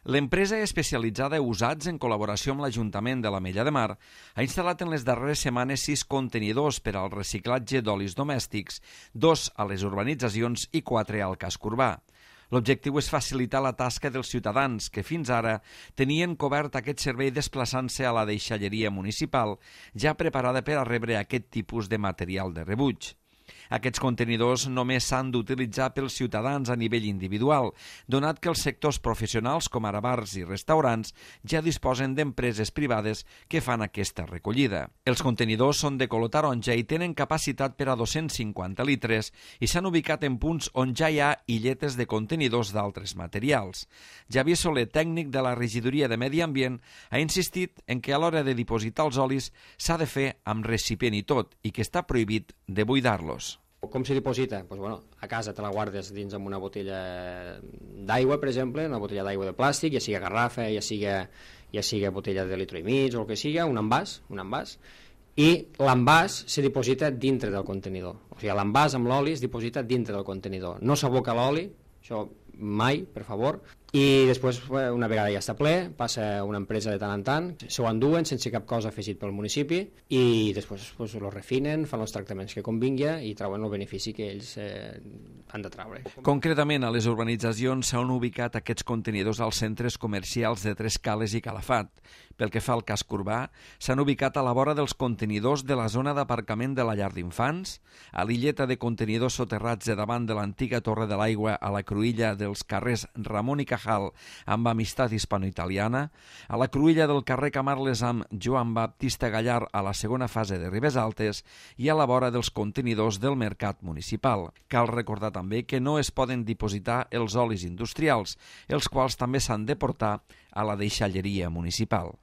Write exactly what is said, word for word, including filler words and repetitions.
L'empresa especialitzada Usats, en col·laboració amb l'Ajuntament de l'Ametlla de Mar, ha instal·lat en les darreres setmanes sis contenidors per al reciclatge d'olis domèstics, dos a les urbanitzacions i quatre al casc urbà. L'objectiu és facilitar la tasca dels ciutadans que fins ara tenien cobert aquest servei desplaçant-se a la deixalleria municipal, ja preparada per a rebre aquest tipus de material de rebuig. Aquests contenidors només s'han d'utilitzar pels ciutadans a nivell individual, donat que els sectors professionals, com ara bars i restaurants, ja disposen d'empreses privades que fan aquesta recollida. Els contenidors són de color taronja i tenen capacitat per a dos-cents cinquanta litres i s'han ubicat en punts on ja hi ha illetes de contenidors d'altres materials. Javier Soler, tècnic de la Regidoria de Medi Ambient, ha insistit en que a l'hora de dipositar els olis s'ha de fer amb recipient i tot i que està prohibit de buidar-los. Com se diposita? Pues bueno, a casa te la guardes dins amb una botella d'aigua, per exemple, una botella d'aigua de plàstic, ja sigui garrafa, ja sigui, ja sigui botella de litro i mig o el que sigui, un envàs, un envàs, i l'envàs se diposita dintre del contenidor. O sigui, l'envàs amb l'oli es diposita dintre del contenidor. No s'aboca l'oli, això mai, per favor, i després, una vegada ja està ple, passa una empresa de tant en tant, s'ho enduen sense cap cosa afegit pel municipi i després pues, lo refinen, fan els tractaments que convingui i treuen el benefici que ells eh, han de treure. Concretament, a les urbanitzacions s'han ubicat aquests contenidors als centres comercials de Tres Cales i Calafat. Pel que fa al casc urbà, s'han ubicat a la vora dels contenidors de la zona d'aparcament de la llar d'infants, a l'illeta de contenidors soterrats de davant de l'antiga Torre de l'Aigua a la cruïlla dels carrers Ramon i Cajal amb Amistat Hispano-Italiana, a la cruïlla del carrer Camarles amb Joan Baptista Gallar a la segona fase de Ribes Altes i a la vora dels contenidors del mercat municipal. Cal recordar també que no es poden dipositar els olis industrials, els quals també s'han de portar a la deixalleria municipal.